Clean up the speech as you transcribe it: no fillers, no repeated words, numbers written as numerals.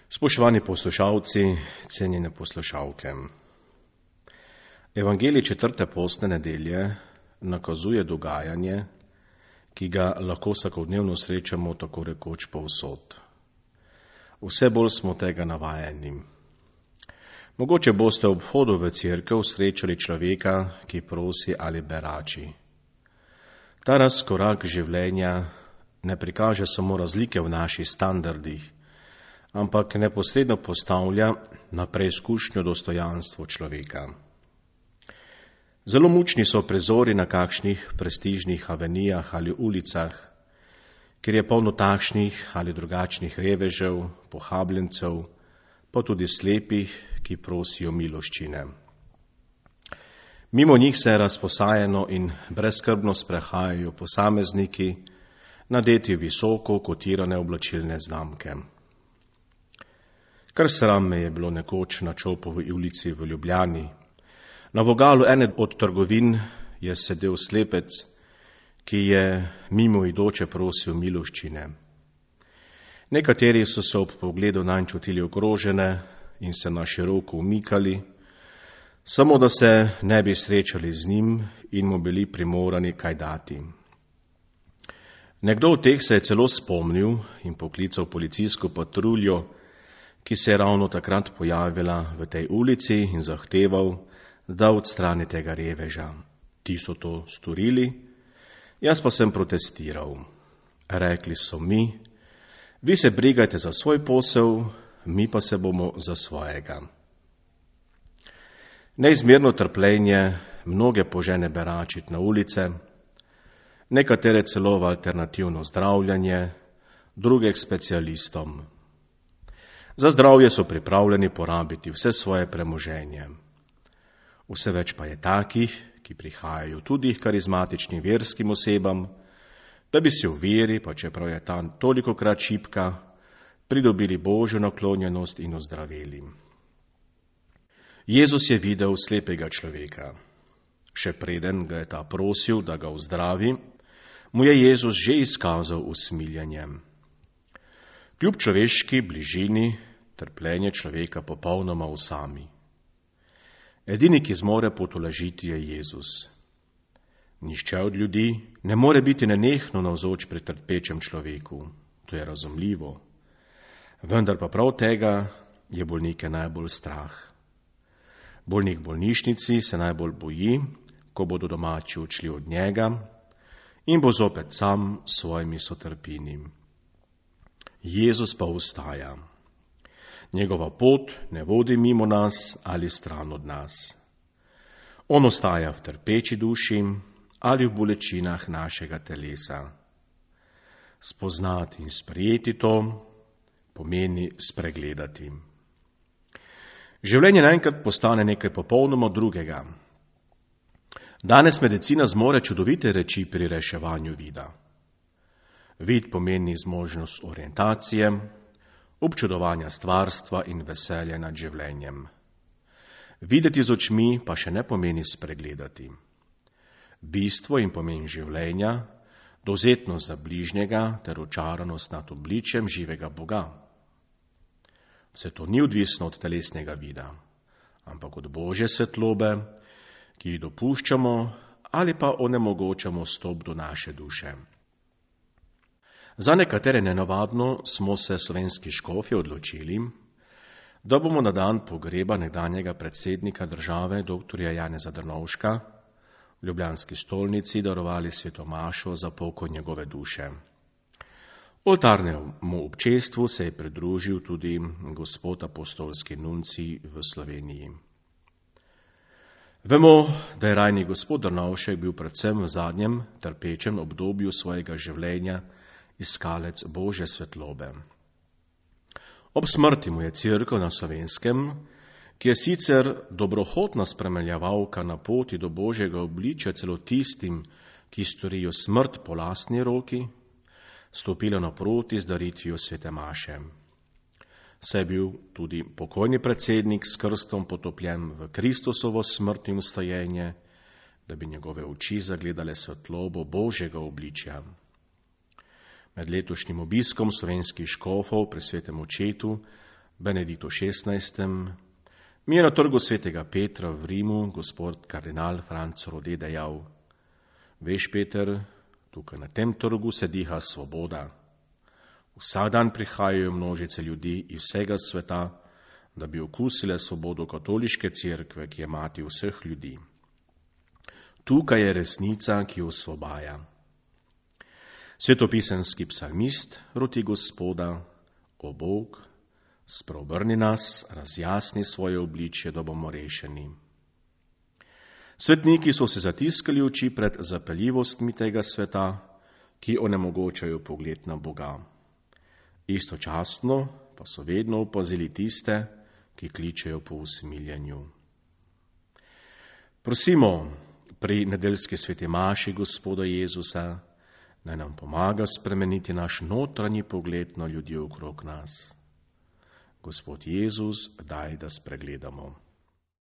Spoštovani poslušalci, cenjene poslušalke. Evangelij 4. postne nedelje nakazuje dogajanje, ki ga lahko vsakodnevno srečamo tako rekoč povsod. Vse bolj smo tega navajeni. Mogoče boste ob vhodu v cerkev srečali človeka, ki prosi ali berači. Ta razkorak življenja ne prikaže samo razlike v naših standardih, ampak neposredno postavlja na preizkušnjo dostojanstvo človeka. Zelo mučni so prizori na kakšnih prestižnih avenijah ali ulicah, kjer je polno takšnih ali drugačnih revežev, pohabljencev, pa tudi slepih, ki prosijo miloščine. Mimo njih se razposajeno in brezskrbno sprehajajo posamezniki, nadeti visoko kotirane oblačilne znamke. Kar sram me je bilo nekoč na Čopovi ulici v Ljubljani. Na vogalu ene od trgovin je sedel slepec, ki je mimoidoče prosil miloščine. Nekateri so se ob pogledu nanj čutili ogrožene in se na široko umikali, samo da se ne bi srečali z njim in mu bili primorani kaj dati. Nekdo od teh se je celo spomnil in poklical policijsko patruljo, ki se je ravno takrat pojavila v tej ulici in zahteval, da odstrani tega reveža. Ti so to storili, jaz pa sem protestiral. Rekli so mi, vi se brigajte za svoj posel, mi pa se bomo za svojega. Neizmerno trpljenje mnoge požene beračit na ulice, nekatere celo v alternativno zdravljanje, druge k specialistom. Za zdravje so pripravljeni porabiti vse svoje premoženje. Vse več pa je takih, ki prihajajo tudi k karizmatičnim verskim osebam, da bi si v veri, pa čeprav je ta tolikokrat šibka, pridobili Božjo naklonjenost in ozdravili. Jezus je videl slepega človeka. Še preden ga je ta prosil, da ga ozdravi, mu je Jezus že izkazal usmiljenje. Kljub človeški bližini trpljenje človeka popolnoma osami. Edini, ki zmore potolažiti, je Jezus. Nihče od ljudi ne more biti nenehno navzoč pri trpečem človeku. To je razumljivo. Vendar pa prav tega je bolnike najbolj strah. Bolnik v bolnišnici se najbolj boji, ko bodo domači odšli od njega in bo zopet sam s svojimi sotrpini. Jezus pa ostaja. Njegova pot ne vodi mimo nas ali stran od nas. On ostaja v trpeči duši ali v bolečinah našega telesa. Spoznati in sprejeti to pomeni spregledati. Življenje naenkrat postane nekaj popolnoma drugega. Danes medicina zmore čudovite reči pri reševanju vida. Vid pomeni zmožnost orientacije, občudovanja stvarstva in veselja nad življenjem. Videti z očmi pa še ne pomeni spregledati. Bistvo in pomen življenja, dovzetnost za bližnjega ter očaranost nad obličjem živega Boga. Vse to ni odvisno od telesnega vida, ampak od Božje svetlobe, ki jih dopuščamo ali pa onemogočamo vstop do naše duše. Za nekatere nenavadno smo se slovenski škofje odločili, da bomo na dan pogreba nekdanjega predsednika države dr. Janeza Drnovška v ljubljanski stolnici darovali sveto mašo za pokoj njegove duše. Oltarnemu občestvu se je pridružil tudi gospod apostolski nuncij v Sloveniji. Vemo, da je rajni gospod Drnovšek bil predvsem v zadnjem trpečem obdobju svojega življenja iskalec Božje svetlobe. Ob smrti mu je Cerkev na Slovenskem, ki je sicer dobrohotna spremljevalka na poti do Božjega obličja celo tistim, ki storijo smrt po lastni roki, stopila naproti z daritvijo svete maše. Saj je bil tudi pokojni predsednik s krstom potopljen v Kristusovo smrt in vstajenje, da bi njegove oči zagledale svetlobo Božjega obličja. Med letošnjim obiskom slovenskih škofov pri svetem očetu Benediktu XVI. Mi je na trgu svetega Petra v Rimu gospod kardinal Franc Rode dejal: Veš, Peter, tukaj na tem trgu se diha svoboda. Vsak dan prihajajo množice ljudi iz vsega sveta, da bi okusile svobodo katoliške cerkve, ki je mati vseh ljudi. Tukaj je resnica, ki osvobaja. Svetopisemski psalmist roti Gospoda: O Bog, spreobrni nas, razjasni svoje obličje, da bomo rešeni. Svetniki so se zatiskali oči pred zapeljivostmi tega sveta, ki onemogočajo pogled na Boga. Istočasno pa so vedno opazili tiste, ki kličejo po usmiljenju. Prosimo pri nedeljski sveti maši Gospoda Jezusa, naj nam pomaga spremeniti naš notranji pogled na ljudi okrog nas. Gospod Jezus, daj, da spregledamo.